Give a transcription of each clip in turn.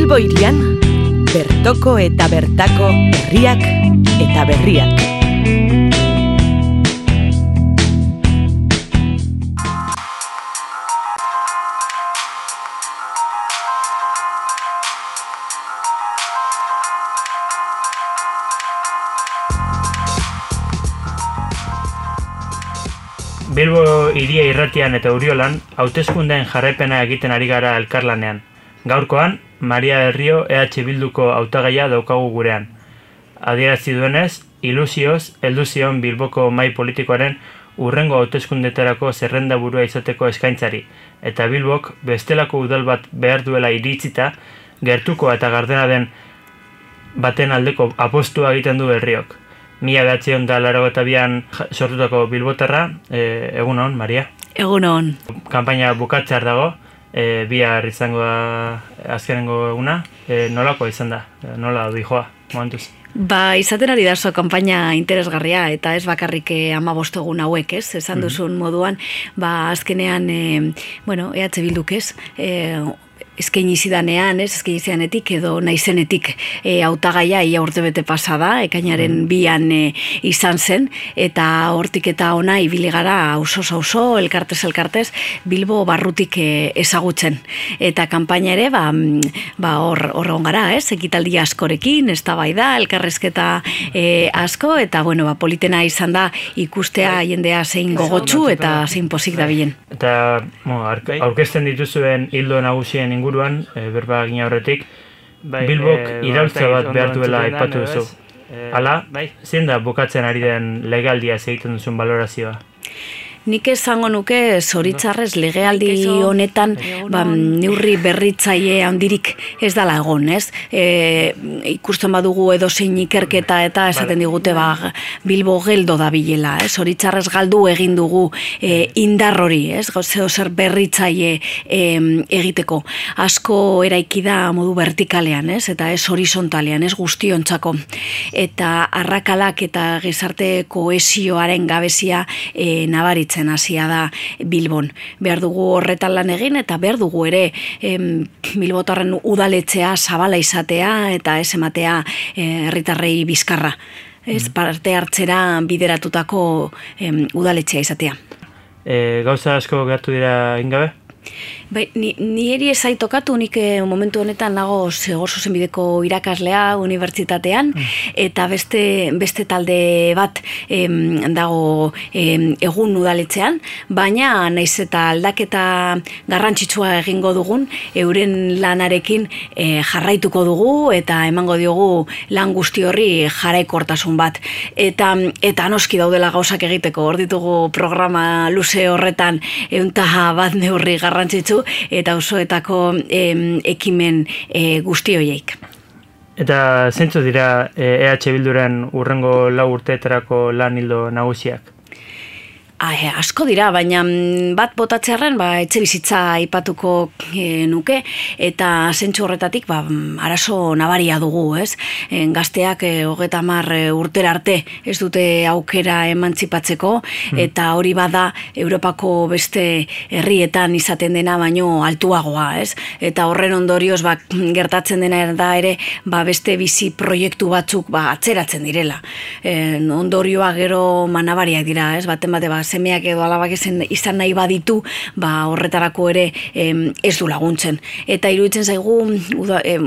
Bilbo hirian, bertoko eta bertako herriak eta berriak. Bilbo hiria irratian eta Uriolan hauteskundeen jarraipena egiten ari gara elkarlanean. Gaurkoan, Maria del Rio EH Bilduko hautagaia daukagu gurean. Adierazi duenez, ilusioz heldu zion Bilboko mahai politikoaren hurrengo hauteskundetarako zerrenda burua izateko eskaintzari, eta Bilbok bestelako udal bat behar duela iritzita, gertuko eta gardena den baten aldeko apostua egiten du Berriok. 1982an sortutako bilbotarra, egunon, Maria? Egunon. Kanpaina bukatzear dago, bihar izango da azkenengo eguna, nolako izan da, nola dijoa, momentuz? Izaten ari da kanpaina interesgarria, eta ez bakarrik 15 egun hauek, ez? Esan duzun moduan, azkenean, EH Bilduk ez, eskaini zidanean, eskaini zidanetik edo naizenetik hautagaia ia urtebete pasada, ekainaren 2an izan zen, eta hortik eta ona ibili gara auzo, elkartez, Bilbo barrutik ezagutzen. Eta kanpaina ere, hor egon gara, ekitaldi askorekin, eztabaida, elkarrezketa asko, eta politena izan da ikustea jendea zein gogotsu eta zein pozik dabilen. Eta aurkezten dituzuen hildo nagusien inguruan, berba egin aurretik, Bilbok iraultza bat behar duela aipatu duzu. Hala, zein da bukatzen ari den legaldia egiten duzun balorazioa? Nik esango nuke zoritzarrez legealdi honetan neurri berritzaile handirik ez dala egon, ez? Ikusten badugu edozein ikerketa eta esaten digute Bilbo geldo da bilela, ez? Zoritzarrez galdu egin dugu indar hori, ez? Zer berritzaile egiteko. Asko eraiki da modu vertikalean, ez? Eta ez horizontalean, ez guztiontzako. Eta arrakalak eta gizarte kohesioaren gabezia nabaritzen hasia da Bilbon. Behar dugu horretan lan egin eta behar dugu ere Bilbotarren udaletxea zabala izatea eta ez ematea herritarrei bizkarra. Ez parte hartzera bideratutako udaletxea izatea. Gauza asko gertu dira ingabe? Ni eri ezait tokatu, nik momentu honetan nago Zegor Zuzenbideko irakaslea unibertsitatean, eta beste talde bat dago egun udaletxean, baina naiz eta aldaketa garrantzitsua egingo dugun, euren lanarekin jarraituko dugu, eta emango diogu lan guzti horri jarraikortasun bat. Eta noski daudela gauzak egiteko, hor ditugu programa luze horretan 101 neurri garrantzitsu, eta osoetako ekimen guzti horiek. Eta zeintzu dira EH Bilduren hurrengo 4 urteetarako lan ildo nagusiak? Asko dira, baina bat botatzearren etxe bizitza aipatuko nuke, eta zentsu horretatik arazo nabaria dugu, ez? Gazteak 30 urtera arte ez dute aukera emantzipatzeko, eta hori bada Europako beste herrietan izaten dena baino altuagoa, ez? Eta horren ondorioz gertatzen dena da ere beste bizi proiektu batzuk atzeratzen direla. Ondorioa gero nabariak dira, ez? Baten bate semeak edo alabak izan nahi baditu, horretarako ere ez du laguntzen. Eta iruditzen zaigu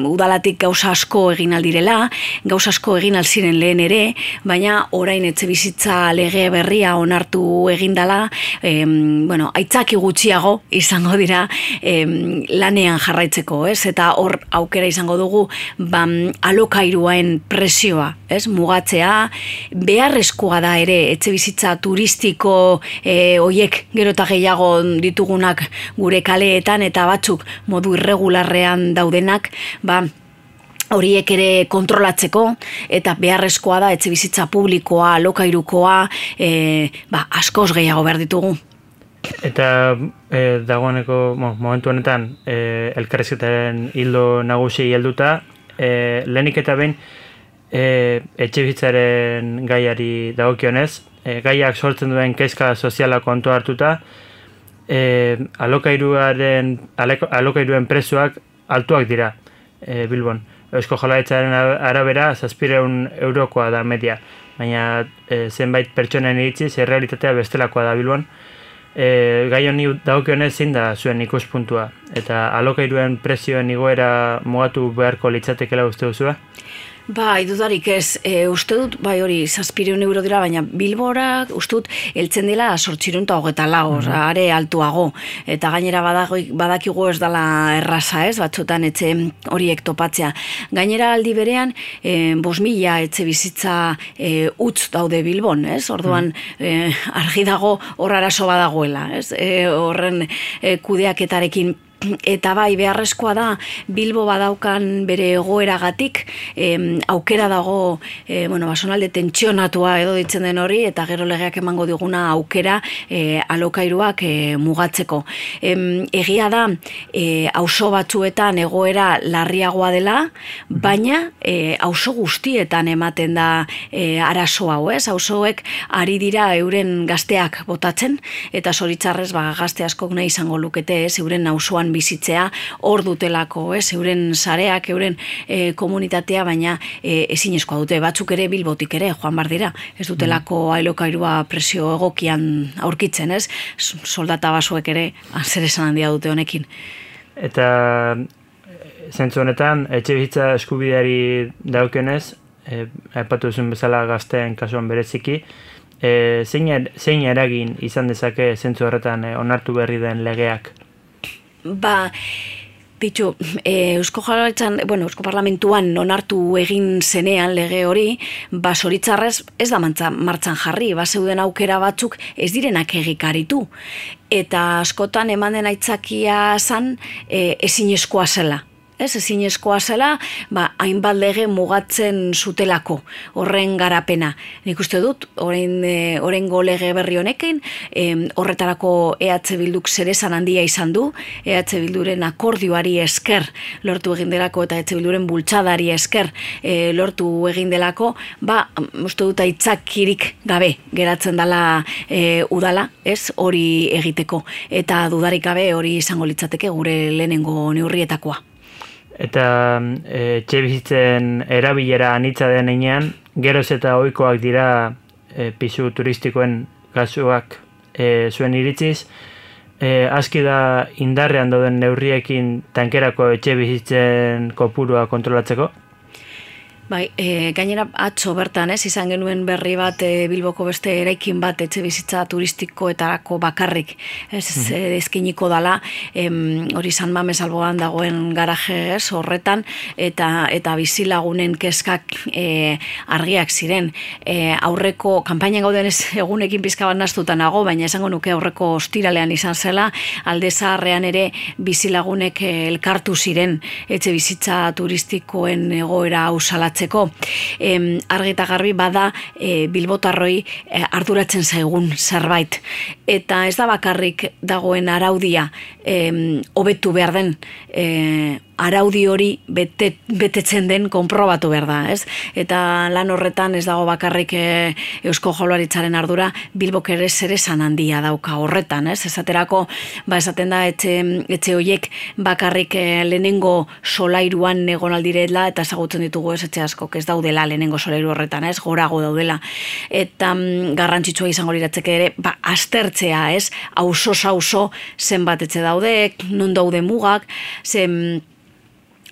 udalatik gauza asko egin aldirela, gauza asko egin alziren lehen ere, baina orain etxe bizitza lege berria onartu egindala, aitzaki gutxiago izango dira lanean jarraitzeko, ez? Eta hor aukera izango dugu alokairuaen presioa, ez? Mugatzea, beharrezkoa da ere etxe bizitza turistiko hoiek gero eta gehiago ditugunak gure kaleetan eta batzuk modu irregularrean daudenak, horiek ere kontrolatzeko, eta beharrezkoa da etxe bizitza publikoa, alokairukoa, askoz gehiago behar ditugu. Eta dagoeneko momentu honetan elkarrizketaren hildo nagusi helduta, lehenik eta behin etxebizitzaren gaiari dagokionez, gaiak sortzen duen kezka soziala kontu hartuta, alokairuen prezioak altuak dira. Bilbon. Eusko Jaurlaritzaren arabera 700 eurokoa da media, baina zenbait pertsonen iritziz errealitatea bestelakoa da Bilbon. Gai honi dagokionez zein da zuen ikuspuntua, eta alokairuen prezioen igoera mugatu beharko litzatekeela uste duzua? Bai, dudarik ez, uste dut, bai hori, 700 euro dira, baina Bilbora, uste dut, heltzen dela 824, are altuago, eta gainera badakigu ez dela erraza ez, batzutan etxe horiek topatzea. Gainera aldi berean, 5.000 etxe bizitza utz daude Bilbon, ez? Orduan, argi dago hor arazo badagoela, ez? Horren kudeaketarekin. Eta bai, beharrezkoa da, Bilbo badaukan bere egoeragatik, aukera dago, zonalde tentsionatua edo ditzen den hori, eta gero legeak emango diguna aukera alokairuak mugatzeko. Egia da, auzo batzuetan egoera larriagoa dela, baina auzo guztietan ematen da arazo hau, ez? Auzoek ari dira euren gazteak botatzen, eta zoritzarrez gazte askok nahi izango lukete, ez? Euren auzoan bizitzea hor dutelako, euren sareak, euren komunitatea, baina ezinezkoa dute, batzuk ere Bilbotik ere joan bar dira, ez dutelako alokairua presio egokian aurkitzen, ez? Soldata basuek ere zer esan handia dute honekin. Eta zentzu honetan, etxe bizitza eskubideari daukionez, aipatu duzun bezala gazteen kasuan bereziki, zein eragin izan dezake zentzu horretan onartu berri den legeak? Eusko Jaurlaritzan, Eusko Parlamentuan onartu egin zenean lege hori, zoritzarrez ez da martxan jarri, zeuden aukera batzuk ez direnak egikaritu. Eta askotan eman den aitzakia zan ezinezkoa zela. Ezinezkoa zela, hainbat lege mugatzen zutelako, horren garapena. Nik uste dut, horrengo lege berri honekin, horretarako EH Bilduk zeresan handia izan du, EH Bilduren akordioari esker lortu egin delako, eta EH Bilduren bultzadari esker lortu egin delako, uste dut aitzakirik gabe geratzen dela udala, ez hori egiteko. Eta dudarik gabe hori izango litzateke gure lehenengo neurrietakoa. Eta etxe bizitzen erabilera anitza den heinean, geroz eta ohikoak dira pisu turistikoen kasuak zuen iritziz, aski da indarrean dauden neurriekin tankerako etxe bizitzen kopurua kontrolatzeko? Bai, gainera atzo bertan, izan genuen berri bat Bilboko beste eraikin bat etxe bizitza turistikoetarako bakarrik, eskiniko dala, hori San Mames alboan dagoen garaje horretan, eta bizilagunen kezkak argiak ziren. Aurreko, kanpainan gauden ez egunekin pizka bat naztutan nago, baina esango nuke aurreko ostiralean izan zela, alde zaharrean ere bizilagunek elkartu ziren etxe bizitza turistikoen egoera ausalatzen. Argi eta garbi bada bilbotarroi arduratzen zaigun zerbait. Eta ez da bakarrik dagoen araudia hobetu behar den araudi hori betetzen den konprobatu behar da, ez? Eta lan horretan ez dago bakarrik Eusko Jaurlaritzaren ardura, Bilbok ere zeresan handia dauka horretan, ez? Esaterako, esaten da etxe horiek bakarrik lehenengo solairuan egon aldirela, eta ezagutzen ditugu ez etxe askok ez daudela lehenengo solairu horretan, ez? Gorago daudela. Eta garrantzitsua izango liratzeke ere, aztertzea, ez? Auzo zenbat etxe daude, non daude mugak,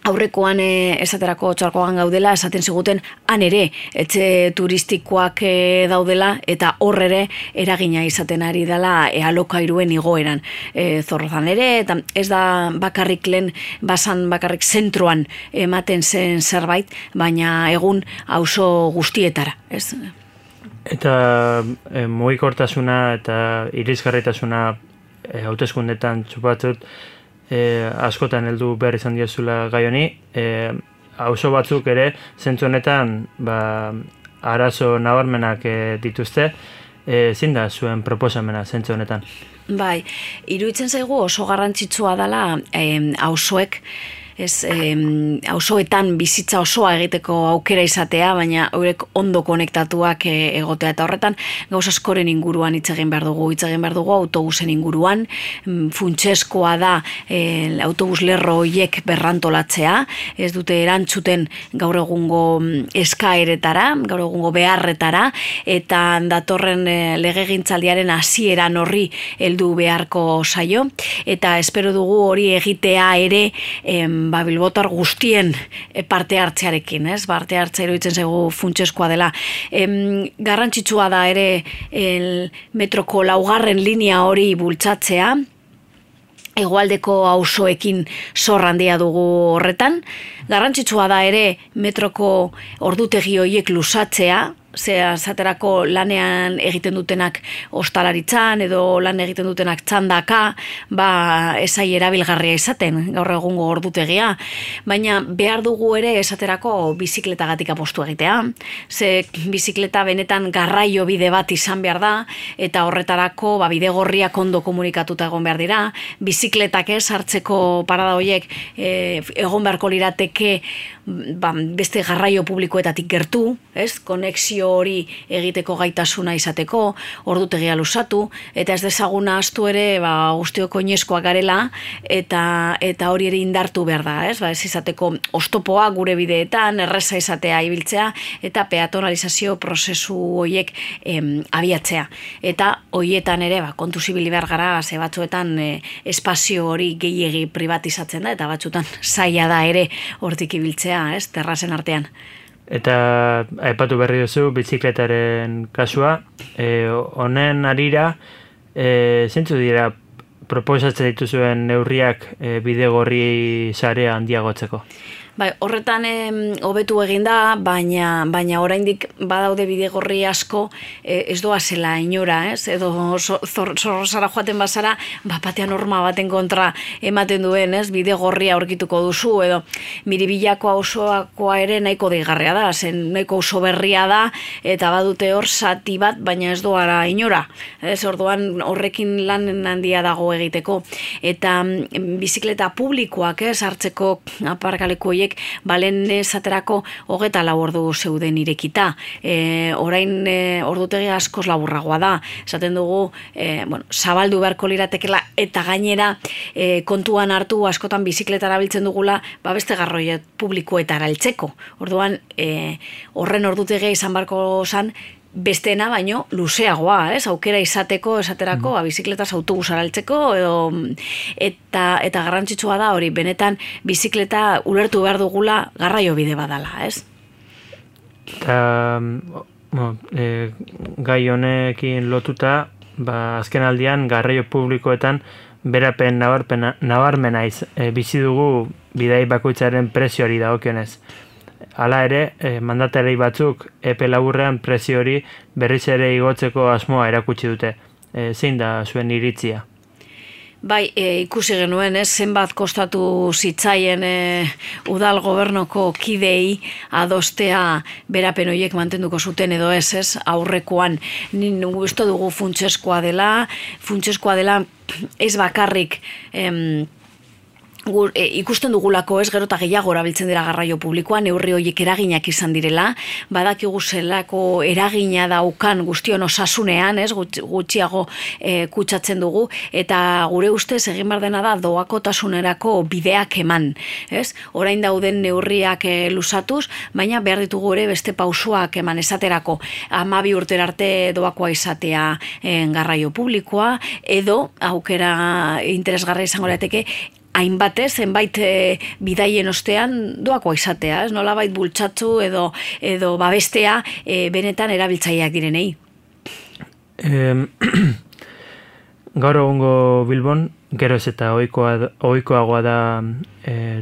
aurrekoan esaterako txarkoan gaudela, esaten ziguten han ere etxe turistikoak daudela, eta hor ere eragina izaten ari dela alokairuen igoeran. Zorrozan ere, eta ez da bakarrik lehen basan bakarrik zentroan ematen zen zerbait, baina egun auzo guztietara, ez? Eta mugikortasuna eta irisgarritasuna hauteskundetan txupatzut, askotan heldu behar izan diozula gai honi, auzo batzuk ere zentzu honetan arazo nabarmenak dituzte, zein da zuen proposamena zentzu honetan? Bai, iruditzen zaigu oso garrantzitsua dela auzoek auzoetan bizitza osoa egiteko aukera izatea, baina horrek ondo konektatuak egotea, eta horretan gauza askoren inguruan hitz egin behar dugu autobusen inguruan, funtsezkoa da autobus lerro horiek berrantolatzea, ez dute erantzuten gaur egungo eskaeretara, gaur egungo beharretara, eta datorren legegintzaldiaren hasieran horri heldu beharko zaio, eta espero dugu hori egitea ere bilbotar guztien parte hartzearekin, ez? Parte hartzea iruditzen zaigu funtsezkoa dela. Garrantzitsua da ere metroko 4. linea hori bultzatzea, hegoaldeko auzoekin zor handia dugu horretan. Garrantzitsua da ere metroko ordutegi horiek luzatzea, zaterako lanean egiten dutenak ostalaritzan edo lan egiten dutenak txandaka, esai erabilgarria izaten gaur egungo ordutegia, baina behar dugu ere esaterako bizikletagatik apostu egitea. Ze bizikleta benetan garraio bide bat izan behar da, eta horretarako bide gorriak ondo komunikatuta egon behar dira, bizikletak hartzeko parada horiek egon beharko lirateke beste garraio publikoetatik gertu, konexio hori egiteko gaitasuna izateko, ordutegia luzatu, eta ez dezaguna astu ere guztiok oinezkoak garela, eta hori ere indartu behar da, ez izateko oztopoa gure bideetan, erreza izatea ibiltzea, eta peatonalizazio prozesu horiek abiatzea. Eta horietan ere kontu zibili behar gara, ze batzuetan espazio hori gehiegi privatizatzen da, eta batzuetan zaila da ere hortik ibiltzea, terrazen artean. Eta aipatu berri duzu bizikletaren kasua, honen arira, zeintzu dira proposatzen dituzuen neurriak bidegorri sarea handiagotzeko? Horretan hobetu egin da, baina oraindik badaude bidegorri asko ez doa zela inora, edo zorrozara joaten bazara, batean norma baten kontra ematen duen, bidegorria aurkituko duzu, edo Miribillako auzoakoa ere nahiko deigarria da, zen nahiko auzo berria da, eta badute hor zati bat, baina ez doa inora, orduan horrekin lan handia dago egiteko, eta bizikleta publikoak hartzeko aparkaleku horiek balen esaterako 24 ordu zeuden irekita. Orain ordutegi askoz laburragoa da. Esaten dugu, zabaldu beharko liratekela, eta gainera kontuan hartu askotan bizikleta erabiltzen dugula, beste garraio publikoetara heltzeko. Orduan, horren ordutegia izan beharko zan, besteena baino luzeagoa, aukera izateko, esaterako, bizikletaz autobusara altzeko, eta garrantzitsua da hori, benetan bizikleta ulertu behar dugula garraio bide badala, Eta, gai honekin lotuta, azken aldian garraio publikoetan berapen nabarmena bizi dugu bidai bakoitzaren prezioari dagokionez. Hala ere, mandatari batzuk epe laburrean prezio hori berriz ere igotzeko asmoa erakutsi dute. Zein da zuen iritzia? Ikusi genuen, zenbat kostatu zitzaien udal gobernoko kidei adostea berapen horiek mantenduko zuten edo ez, aurrekoan uste dugu funtsezkoa dela ez bakarrik ikusten dugulako gero eta gehiago erabiltzen dira garraio publikoan, neurri horiek eraginak izan direla, badakigu zelako eragina daukan guztion osasunean, gutxiago kutsatzen dugu, eta gure ustez egin behar dena da doakotasunerako bideak eman. Orain dauden neurriak luzatuz, baina behar ditugu ere beste pausuak eman esaterako 12 urtera arte doakoa izatea garraio publikoa, edo aukera interesgarra izango lirateke zenbait bidaien ostean doakoa izatea, nolabait bultzatzu edo babestea benetan erabiltzaileak direnei. Gaur egungo Bilbon, geroz eta ohikoagoa da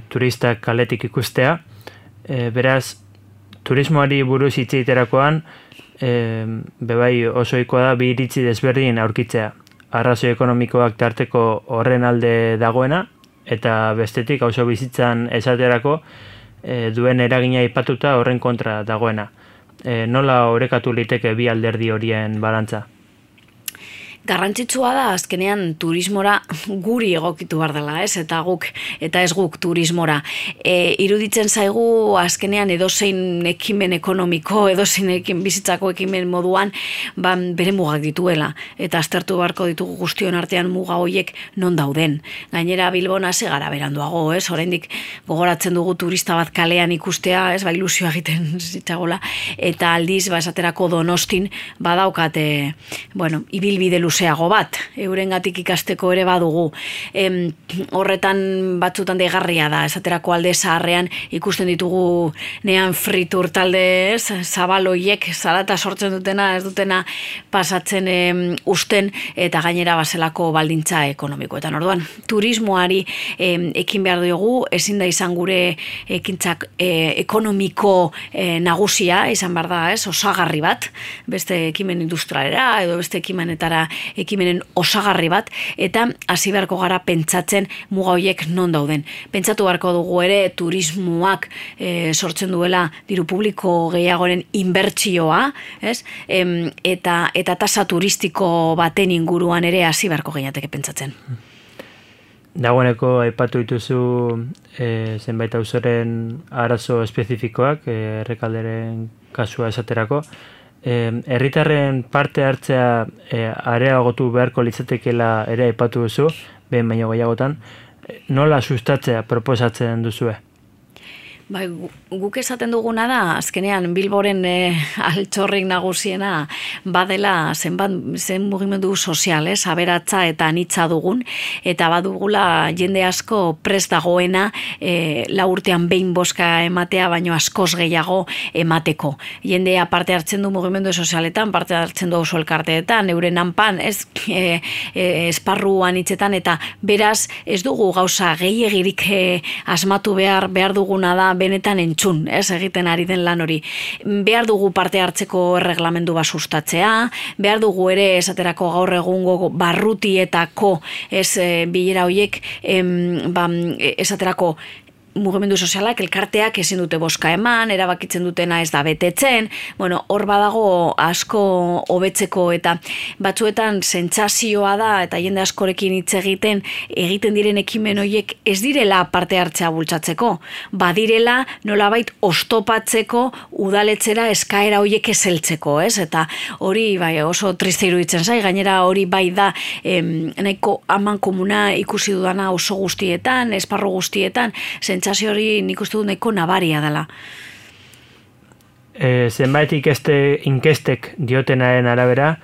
turistak kaletik ikustea, beraz, turismoari buruz hitz egiterakoan, bebai oso ohikoa da bi iritzi desberdin aurkitzea. Arrazoi ekonomikoak tarteko horren alde dagoena, eta bestetik auzo bizitzan esaterako duen eragina aipatuta horren kontra dagoena. Nola orekatu liteke bi alderdi horien balantza? Garrantzitsua da azkenean turismora guri egokitu behar dela, eta ez guk turismora. Iruditzen zaigu azkenean edozein ekimen ekonomiko, edozein bizitzako ekimen moduan, bere mugak dituela, eta aztertu beharko ditugu guztion artean muga horiek non dauden. Gainera Bilbon hasi gara beranduago, oraindik gogoratzen dugu turista bat kalean ikustea, ilusioa egiten zitzagola, eta aldiz, esaterako Donostin badaukate, ibilbide luzeago bat, eurengatik ikasteko ere badugu. Horretan batzutan deigarria da, esaterako Alde Zaharrean ikusten ditugu nean fritur talde, zabaloiek zarata sortzen dutena, ez dutena pasatzen usten, eta gainera baselako baldintza ekonomikoetan. Orduan, turismoari ekin behar dugu, ezin da izan gure ekintzak ekonomiko nagusia, izan behar da, osagarri bat, beste ekimen industrialera, edo beste ekimenen osagarri bat, eta hasi beharko gara pentsatzen muga horiek non dauden. Pentsatu beharko dugu ere turismoak sortzen duela diru publiko gehiagoren inbertsioa, eta tasa turistiko baten inguruan ere hasi beharko gehiateke pentsatzen. Dagoeneko aipatu dituzu zenbait auzoren arazo espezifikoak, Errekalderen kasua esaterako. Herritarren parte hartzea areagotu beharko litzatekeela ere aipatu duzu, behin baino gehiagotan. Nola sustatzea proposatzen duzue? Guk esaten duguna da, azkenean Bilboren altxorrik nagusiena badela zen mugimendu sozial, aberatza eta anitza dugun, eta badugula jende asko prest dagoena 4 urtean behin bozka ematea, baino askoz gehiago emateko. Jendea parte hartzen du mugimendu sozialetan, parte hartzen du oso elkarteetan, euren hanpan, esparru anitzetan, eta beraz ez dugu gauza gehiegirik asmatu behar duguna da benetan entzun, egiten ari den lan hori. Behar dugu parte hartzeko erreglamendu bat sustatzea, behar dugu ere esaterako gaur egungo barrutietako bilera horiek esaterako mugimendu sozialak, elkarteak ezin dute bozka eman, erabakitzen dutena ez da betetzen, hor badago asko hobetzeko, eta batzuetan sentsazioa da, eta jende askorekin hitz egiten diren ekimen horiek ez direla parte hartzea bultzatzeko, badirela nolabait oztopatzeko udaletxera eskaera horiek ezeltzeko, eta hori oso triste iruditzen zai, gainera hori bai da nahiko aman komuna ikusi dudana oso guztietan, esparru guztietan, sentsazio hori nik uste dut nahiko nabaria dela. Zenbait inkestek diotenaren arabera,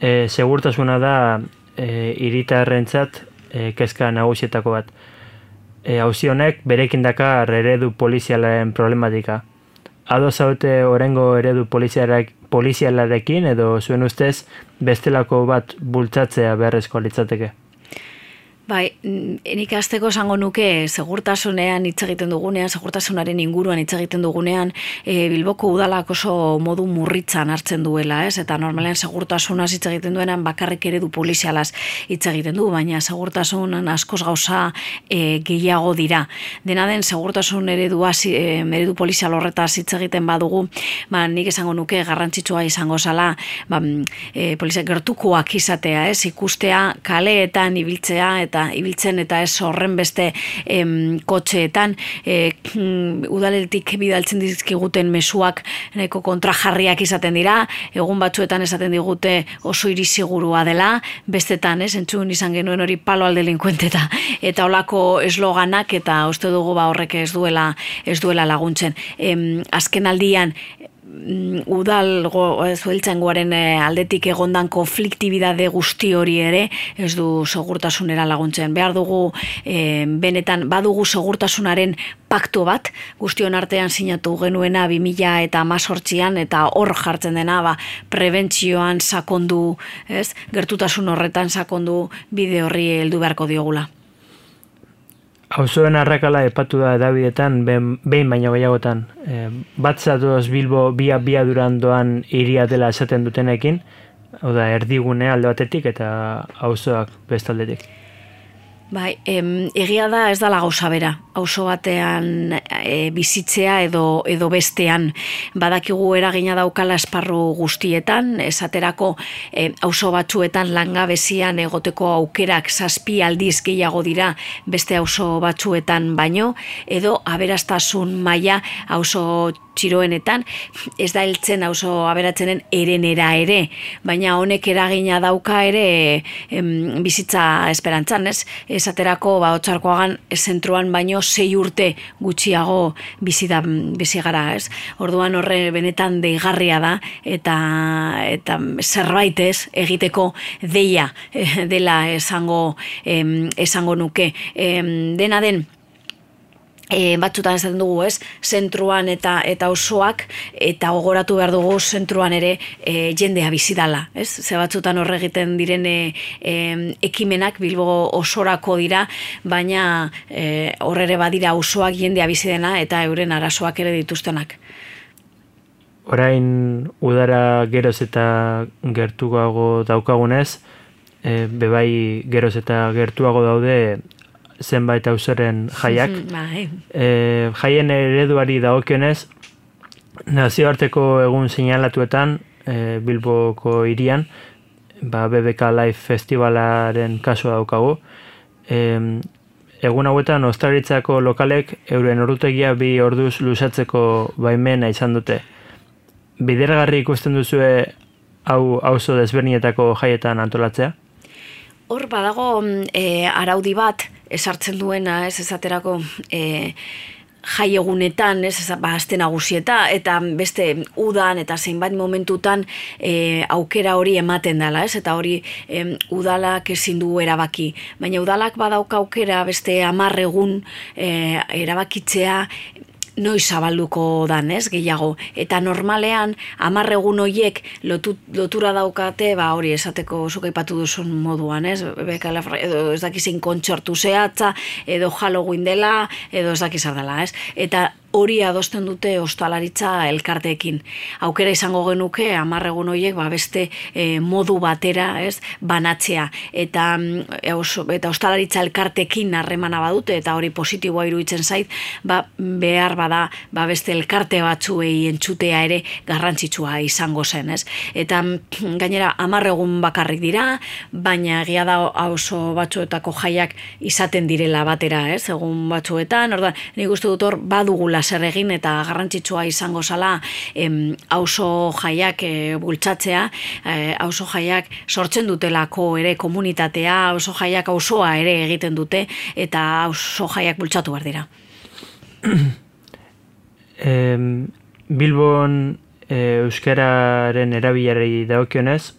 segurtasuna da hiritarrentzat kezka nagusietako bat. Auzi honek berekin dakar eredu polizialaren problematika. Ados zaute oraingo eredu polizialarekin, edo zuen ustez bestelako bat bultzatzea beharrezkoa litzateke? Nik hasteko esango nuke segurtasunean hitz egiten dugunean, segurtasunaren inguruan hitz egiten dugunean, Bilboko udalak oso modu murritzan hartzen duela, eta normalean segurtasunaz hitz egiten duenan bakarrik eredu polizialaz hitz egiten du, baina segurtasunan askoz gauza gehiago dira. Dena den segurtasun eredu polizial horretaz hitz egiten badugu, nik esango nuke garrantzitsua izango zala, poliziak gertukoak izatea, ikustea kaleetan ibiltzea, ibiltzen eta ez horren beste kotxeetan, udaletik bidaltzen dizkiguten mezuak nahiko kontrajarriak izaten dira, egun batzuetan esaten digute oso hiri segurua dela, bestetan, entzun izan genuen hori palo al delinkuente eta holako esloganak, eta uste dugu horrek ez duela laguntzen. Azken aldian, zueltzaingoaren aldetik egondan konfliktibidade guzti hori ere ez du segurtasunera laguntzen. Behar dugu, benetan, badugu segurtasunaren paktu bat, guztion artean sinatu genuena 2018an, eta hor jartzen dena, prebentzioan sakondu, gertutasun horretan sakondu bide horri heldu beharko diogula. Auzoen arrakala epatu da edabidetan, behin baino gehiagotan. Bat zatoz Bilbo bia durandoan hiria dela esaten dutenekin, hau da, erdigune alde batetik eta auzoak bestaldetik. Bai, egia da ez dala gauza bera, auzo batean bizitzea edo bestean. Badakigu eragina daukala esparru guztietan, esaterako auzo batzuetan langabezian egoteko aukerak 7 aldiz gehiago dira beste auzo batzuetan baino, edo aberastasun maila auzo txiroenetan, ez da heltzen auzo aberatzenen erenera ere, baina honek eragina dauka ere bizitza esperantzan, ez? Esaterako Otsarkoagan zentruan baino 6 urte gutxiago bizi gara, ez? Orduan horre benetan deigarria da eta zerbait ez egiteko deia dela esango nuke. Dena den, batzutan esaten dugu, ez? Zentruan eta auzoak, eta gogoratu behar dugu zentruan ere jendea bizi dala, ez? Ze batzutan horre egiten diren ekimenak Bilbo osorako dira, baina horre badira auzoak jendea bizi dena eta euren arazoak ere dituztenak. Orain udara geroz eta gertuago daukagunez, bebai geroz eta gertuago daude zenbait auzoren jaiak. Jaien ereduari dagokionez, nazioarteko egun seinalatuetan Bilboko hirian, BBK Live Festivalaren kasua daukagu. Egun hauetan ostalaritzako lokalek euren ordutegia 2 orduz luzatzeko baimena izan dute. Bideragarri ikusten duzue hau auzo desberdinetako jaietan antolatzea? Hor badago araudi bat esartzen duena, ez esaterako jai egunetan, ez aste nagusieta, eta beste udan eta zeinbat momentutan aukera hori ematen dela, ez? Eta hori udalak ezin du erabaki. Baina udalak badauka aukera beste 10 egun erabakitzea noiz zabalduko dan, ez, gehiago. Eta normalean, 10 egun horiek lotura daukate, hori esateko zuk aipatu duzun moduan, ez, edo ez dakizein kontsortu zehatza, edo Halloween dela, edo ez dakizar dela, ez. Eta hori adosten dute ostalaritza elkarteekin. Aukera izango genuke 10 egun horiek beste modu batera, ez, banatzea. Eta ostalaritza elkarteekin harremana badute, eta hori positiboa iruditzen zait, behar bada beste elkarte batzuei entzutea ere garrantzitsua izango zen, ez? Eta gainera 10 egun bakarrik dira, baina egia da auzo batzuetako jaiak izaten direla batera, ez? Egun batzuetan, orduan, nik uste dut hor badugula zer egin eta garrantzitsua izango zala auzo jaiak bultzatzea, auzo jaiak sortzen dutelako ere komunitatea, auzo jaiak auzoa ere egiten dute eta auzo jaiak bultzatu behar dira. Bilbon euskararen erabilerari dagokionez,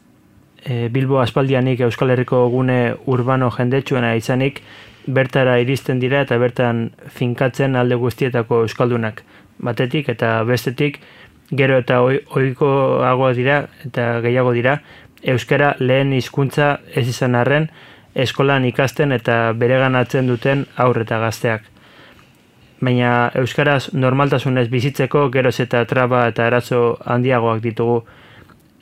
Bilbo aspaldianik Euskal Herriko gune urbano jendetsuena izanik, bertara iristen dira eta bertan finkatzen alde guztietako euskaldunak. Batetik eta bestetik, gero eta ohikoago dira eta gehiago dira, euskara lehen hizkuntza ez izan arren, eskolan ikasten eta bereganatzen duten haur eta gazteak. Baina euskaraz normaltasunez bizitzeko geroz eta traba eta arazo handiagoak ditugu.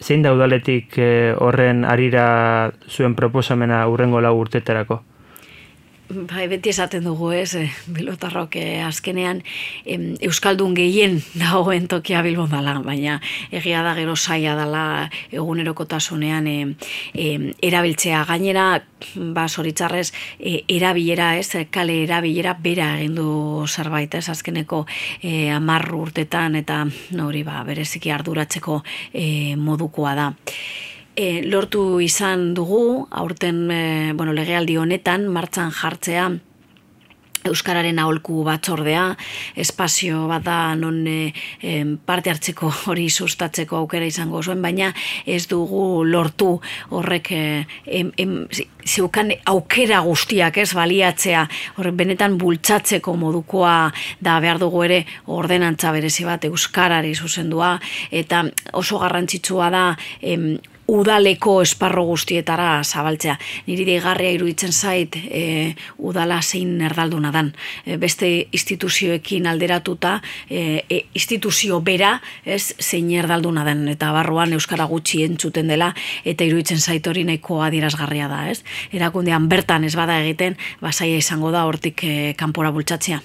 Zein da udaletik horren harira zuen proposamena hurrengo 4 urtetarako? Beti esaten dugu, ez, bilbotarrok azkenean euskaldun gehien dagoen tokia Bilbon dela, baina egia da gero zaila dela egunerokotasunean erabiltzea. Gainera, zoritzarrez, erabilera, ez, kale erabilera bera egin du zerbait, ez, azkeneko 10 urtetan eta hori bereziki arduratzeko modukoa da. Lortu izan dugu, aurten legealdi honetan, martxan jartzea Euskararen aholku batzordea, espazio bat da non parte hartzeko hori sustatzeko aukera izango zuen, baina ez dugu lortu horrek zeukan aukera guztiak ez baliatzea, horrek benetan bultzatzeko modukoa da behar dugu ere ordenantza berezi bat Euskarari zuzendua, eta oso garrantzitsua da udaleko esparro guztietara zabaltzea. Niri deigarria iruditzen zait udala zein erdalduna dan. Beste instituzioekin alderatuta, instituzio bera zein erdalduna den, eta barruan euskara gutxi entzuten dela, eta iruditzen zait hori nahiko adierazgarria da. Erakundean bertan ez bada egiten, zaila izango da hortik kanpora bultzatzea.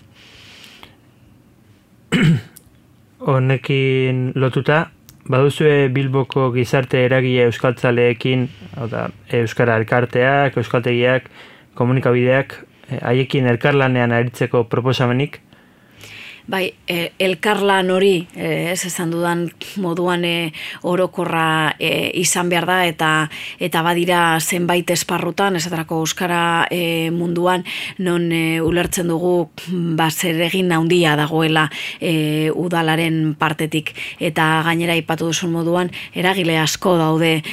Honekin lotuta, baduzue Bilboko gizarte eragile euskaltzaleekin, euskara elkarteak, euskaltegiak, komunikabideak, haiekin elkarlanean aritzeko proposamenik? Bai, elkarlan hori, esan dudan moduan orokorra izan behar da, eta badira zenbait esparrutan, esaterako euskara munduan, non ulertzen dugu zer egin handia dagoela udalaren partetik, eta gainera aipatu duzun moduan, eragile asko daude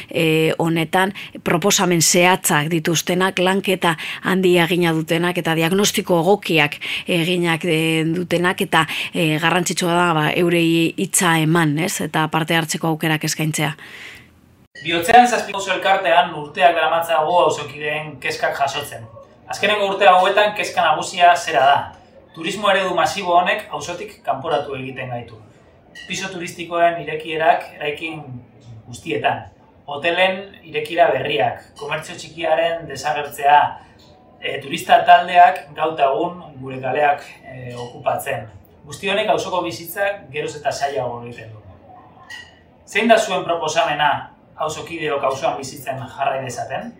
honetan, proposamen zehatzak dituztenak, lanketa handia egina dutenak, eta diagnostiko egokiak eginak dutenak, eta garrantzitsua da eurei hitza eman, eta parte hartzeko aukerak eskaintzea. Bihotzean Zazpikoso elkartean urteak daramatzago auzokideen kezkak jasotzen. Azkeneko urte hauetan kezka nagusia zera da. Turismo eredu masibo honek auzotik kanporatu egiten gaitu. Piso turistikoen irekierak eraikin guztietan. Hotelen irekiera berriak, komertzio txikiaren desagertzea, turista taldeak gauta egun gure kaleak okupatzen. Guzti honek auzoko bizitzak geroz eta zailago egiten du. Zein da zuen proposamena auzokideok auzoan bizitzen jarrai dezaten?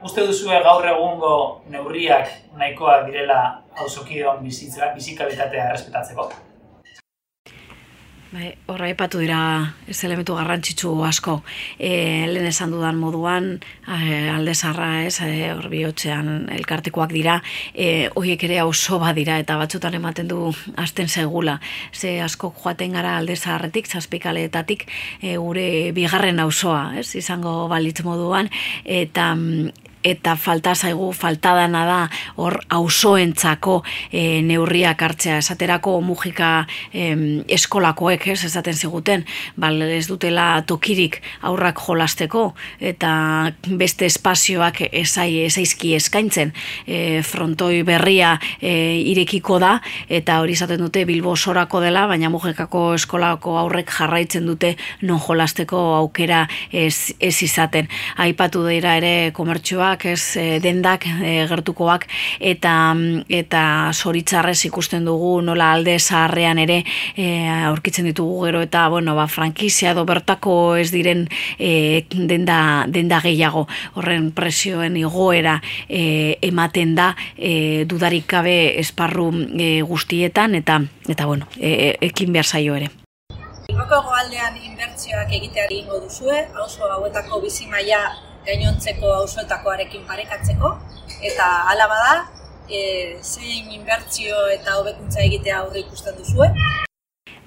Uste duzue gaur egungo neurriak nahikoak direla auzokideon bizikalitatea errespetatzeko? Horra aipatu dira ez elementu garrantzitsu asko. Lehen esan dudan moduan, alde zaharra hor bihotzean elkartekoak dira, horiek ere auzo bat dira, eta batzutan ematen du hasten segula. Ze asko joaten gara alde zaharretik, zazpikaleetatik, gure bigarren auzoa, izango balitz moduan, eta falta dana da hor auzoentzako neurriak hartzea. Esaterako Mujika eskolakoek esaten ziguten, ez dutela tokirik aurrak jolasteko, eta beste espazioak ezaizki eskaintzen. Frontoi berria irekiko da, eta hori esaten dute Bilbo osorako dela, baina Mujikako eskolako aurrek jarraitzen dute non jolasteko aukera ez izaten. Aipatu dira ere komertzioak, dendak gertukoak, eta zoritzarrez ikusten dugu nola alde zaharrean ere aurkitzen ditugu gero, eta frankizia edo bertako ez diren denda gehiago. Horren presioen igoera ematen da dudarik gabe esparru guztietan, eta ekin behar zaio ere. Bilboko hegoaldean inbertsioak egiteari egingo duzue, auzo hauetako bizimaila gainontzeko auzoetakoarekin parekatzeko, eta hala bada, zein inbertsio eta hobekuntza egitea aurre ikusten duzue?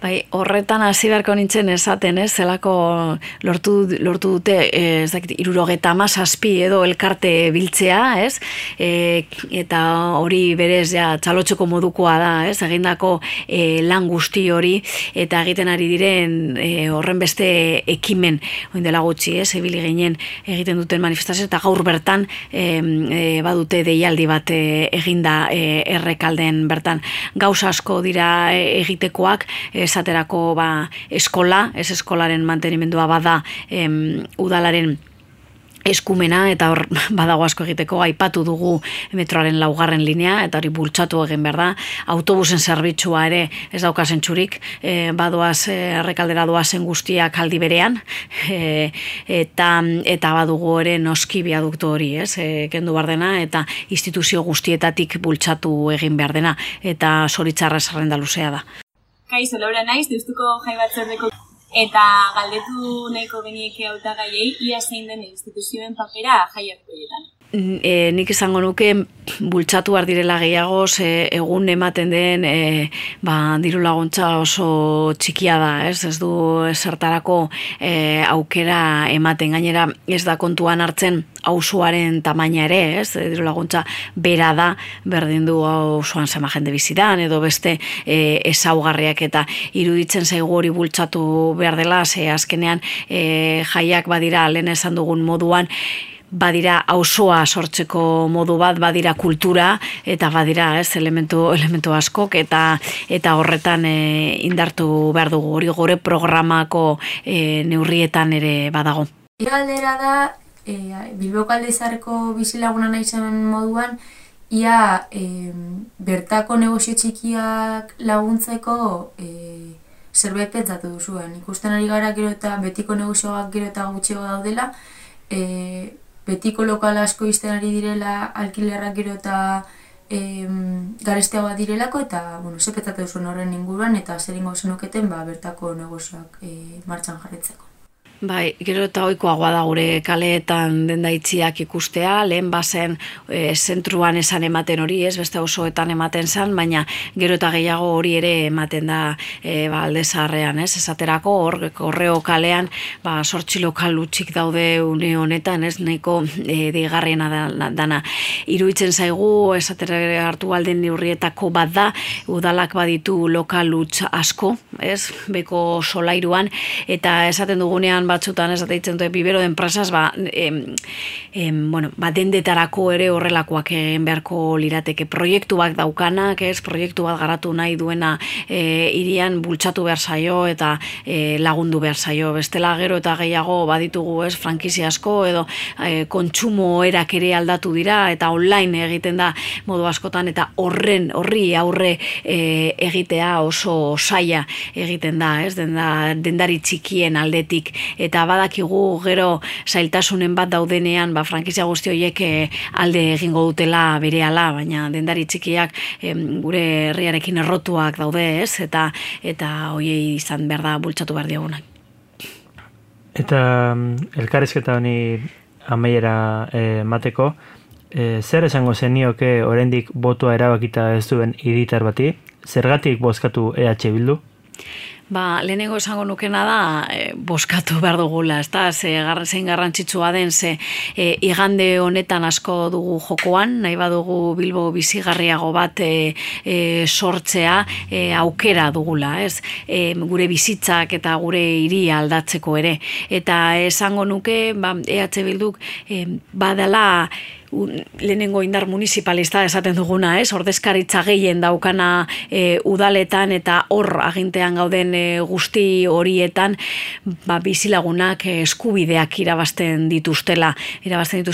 Horretan hasi beharko nintzen esaten, zelako lortu dute 77 edo elkarte biltzea, eta hori berez txalotzeko modukoa da, egindako lan guzti hori, eta egiten ari diren horren beste ekimen, oin dela gutxi, ebili ginen egiten duten manifestazio, eta gaur bertan badute deialdi bat eginda Errekalden bertan. Gauza asko dira egitekoak, esaterako eskola, ez eskolaren mantenimendua bada udalaren eskumena, eta hor badago asko egiteko. Aipatu dugu metroaren 4. linea, eta hori bultzatu egin behar da. Autobusen zerbitzua ere ez dauka zentzurik, badoaz Errekaldera doazen guztiak aldi berean, eta badugu ere noski biaduktu hori, kendu behar dena, eta instituzio guztietatik bultzatu egin behar dena, eta zoritzarra zerrenda luzea da. Kaixo, Laura naiz, Deustuko Jai Batzordeko, eta galdetu nahiko genieke hautagaiei ia zein den instituzioen papera jai horietan. nik izango nuke bultzatu behar direla gehiago egun ematen den diru laguntza oso txikia da, ez du zertarako aukera ematen, gainera ez da kontuan hartzen auzoaren tamaina ere, ez, diru laguntza bera da, berdin du auzoan zema jende bizidan, edo beste ezaugarriak, eta iruditzen zaigu hori bultzatu behar dela, azkenean jaiak badira lehen esan dugun moduan, badira auzoa sortzeko modu bat, badira kultura, eta badira elementu askok, eta horretan indartu behar dugu, hori gore programako neurrietan ere badago. Galdera da, Bilboko Aldezarreko bizilaguna naizen moduan, ia bertako negozio txikiak laguntzeko zerbait pentsatu duzuen. Ikusten ari gara gero eta betiko negozioak gero eta gutxiago daudela, betiko lokal asko izten ari direla, alkilerrak gero eta garesteagoa direlako, eta ze pentsatu duzuen horren inguruan, eta zer ingo zenuketen bertako negozioak martxan jarretzeko. Bai, gero eta ohikoagoa da gure kaleetan dendaitziak ikustea, lehen bazen zentruan esan ematen hori, ez beste osoetan ematen zan, baina gero eta gehiago hori ere ematen da Aldezarrean, ez esaterako Korreo kalean 8 lokal utzik daude une honetan, ez nahiko deigarriena dana. Iruditzen zaigu esatera hartu alden neurrietako bat da, udalak baditu lokal utz asko, ez, beko solairuan, eta esaten dugunean batzutan ez deitzen dute bibero de enpresas dendetarako ere horrelakoak egin beharko lirateke, proiektu bat daukanak, ez, proiektu bat garatu nahi duena hirian bultzatu behar zaio eta lagundu behar zaio, bestela gero eta gehiago baditugu, ez, frankizia asko edo kontsumo erak ere aldatu dira eta online egiten da modu askotan, eta horri aurre egitea oso zaila egiten da, ez, dendari txikien aldetik, eta badakigu gero zailtasunen bat daudenean, frankizia guzti horiek alde egingo dutela berehala, baina dendari txikiak gure herriarekin errotuak daude, ez, eta horiei izan behar da bultzatu behar diagunak. Eta elkarrizketa honi amaiera mateko, zer esango zenioke oraindik botoa erabakita ez duen hiritar bati? Zergatik bozkatu EH Bildu? Lehenengo esango nukena da bozkatu behar dugula, zein garrantzitsua den, igande honetan asko dugu jokoan, nahi badugu Bilbo bizigarriago bat sortzea aukera dugula, ez? Gure bizitzak eta gure hiria aldatzeko ere. Eta esango nuke, EH Bilduk badala lehenengo indar municipalista esaten duguna, ez? Ordezkaritza gehien daukana udaletan, eta hor agintean gauden guzti horietan bizilagunak eskubideak irabazten dituzte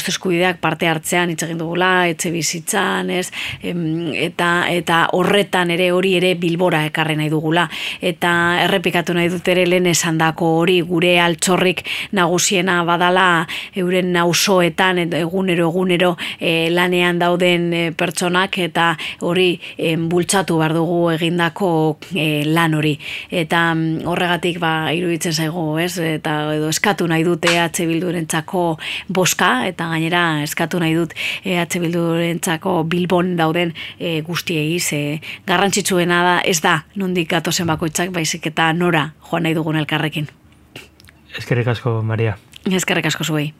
eskubideak parte hartzean, hitz egin dugula, etxe bizitzan, ez? Eta horretan ere hori ere Bilbora ekarri nahi dugula, eta errepikatu nahi dut ere lehen esandako hori, gure altxorrik nagusiena badala euren auzoetan egunero lanean dauden pertsonak, eta hori bultzatu behar dugu egindako lan hori, eta horregatik iruditzen zaigu, ez, eta edo eskatu nahi dut EH Bildurentzako bozka, eta gainera eskatu nahi dut EH Bildurentzako Bilbon dauden guztiei, garrantzitsuena da, ez da nondik gatozen bakoitzak, baizik eta nora joan nahi dugun elkarrekin. Eskerrik asko, Maria. Eskerrik asko zuei.